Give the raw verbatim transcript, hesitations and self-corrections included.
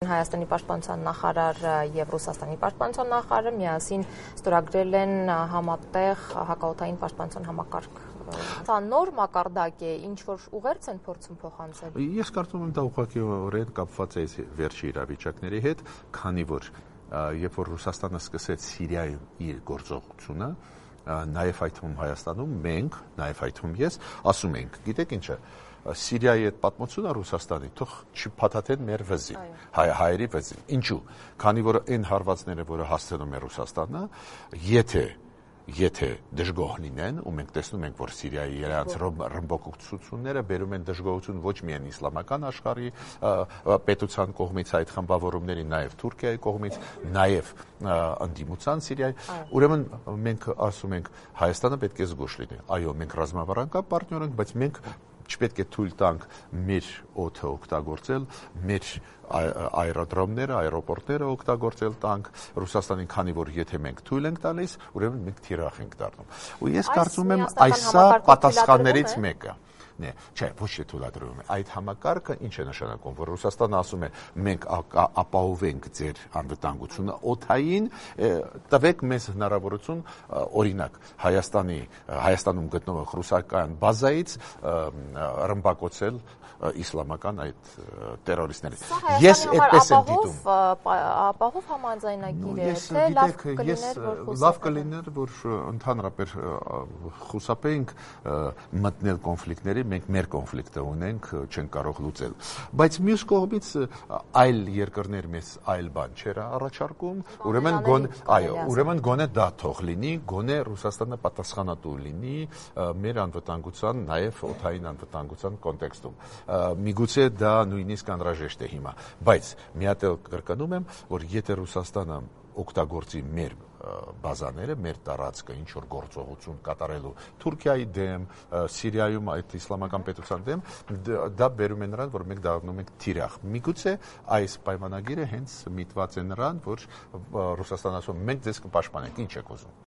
Հայաստանի պաշտպանության նախարար եւ Ռուսաստանի պաշտպանության նախարարը միասին ստորագրել են համատեղ հակաօդային պաշտպանության համակարգ։ Դա նոր մակարդակ է, ինչ որ ուղերձ են փորձում փոխանցել։ Ես կարծում եմ դա ուղղակիորեն կապված է վերջի իրավիճակների հետ, քանի որ երբ որ Ռուսաստանը սկսեց Սիրիայում իր գործողությունը, նաեւ այդ թվում Հայաստանում մենք, նաեւ այդ թվում ես, ասում ենք, գիտեք ինչը, Սիրիայի այդ պատմությունը Ռուսաստանի թող չփաթաթեն մեր վզին, հայ հայերի վզին։ Ինչու՞։ Քանի որ այն հարվածները, որը հասցնում է Ռուսաստանը, եթե եթե դժգոհ լինեն, ու մենք տեսնում ենք, որ Սիրիայի իրենց ռմբակոծությունները բերում են դժգոհություն ոչ միայն իսլամական աշխարհի պետության կողմից, այդ խմբավորումների, նաև Թուրքիայի կողմից, նաև ընդդիմության Սիրիայի, ուրեմն մենք ասում ենք, Հայաստանը պետք է զգուշ լինի։ Այո, մենք ռազմավարական պարտներ ենք, բայց մենք չպետք է թույլ տանք մեր օդը օգտագործել, մեր այրոդրոմները, այրոպորտները օգտագործել տանք Ռուսաստանին, քանի որ եթե մենք թույլ ենք տալիս, ուրեմն մենք թիրախ ենք դառնում։ Ու ես կարծում եմ, այսա պատասխաններից մեկը Նե, չէ, ոչ թե թույլատրվում է։ Այդ համակարգը ինչ է նշանակում, որ Ռուսաստանը ասում է, մենք ապահովենք ձեր անվտանգությունը օդային, տվեք մեզ հնարավորություն, օրինակ, Հայաստանի Հայաստանում գտնվող ռուսական բազայից ռմբակոծել իսլամական այդ տերորիստներին։ Ես այդպես եմ դիտում։ Ապահով համաձայնագիր է, թե լավ կլիներ, որ լավ կլիներ, որ ընդհանրապես խուսափեինք մտնել կոնֆլիկտների, մենք մեր կոնֆլիկտը ունենք, չենք կարող լուծել։ Բայց մյուս կողմից այլ երկրներ մեզ այլ բան չեր առաջարկում, ուրեմն գոնե, այո, ուրեմն գոնե դա թող լինի, գոնե Ռուսաստանը պատասխանատու լինի մեր անվտանգության, նաև օդային անվտանգության կոնտեքստում։ Միգուցե դա նույնիսկ անհրաժեշտ է հիմա, բայց մի հատ էլ կրկնում եմ, որ եթե Ռուսաստանը օգտագործի մեր բազաները, մեր տարածքը ինչ որ գործողություն կատարելու Թուրքիայի դեմ, Սիրիայում այդ իսլամական պետության դեմ, դա բերում է նրան, որ մենք դառնում ենք թիրախ։ Միգուցե այս պայմանագիրը հենց միտված է նրան, որ Ռուսաստանը ասում, մենք ձեզ կպաշտպանենք, ինչ եք ուզում։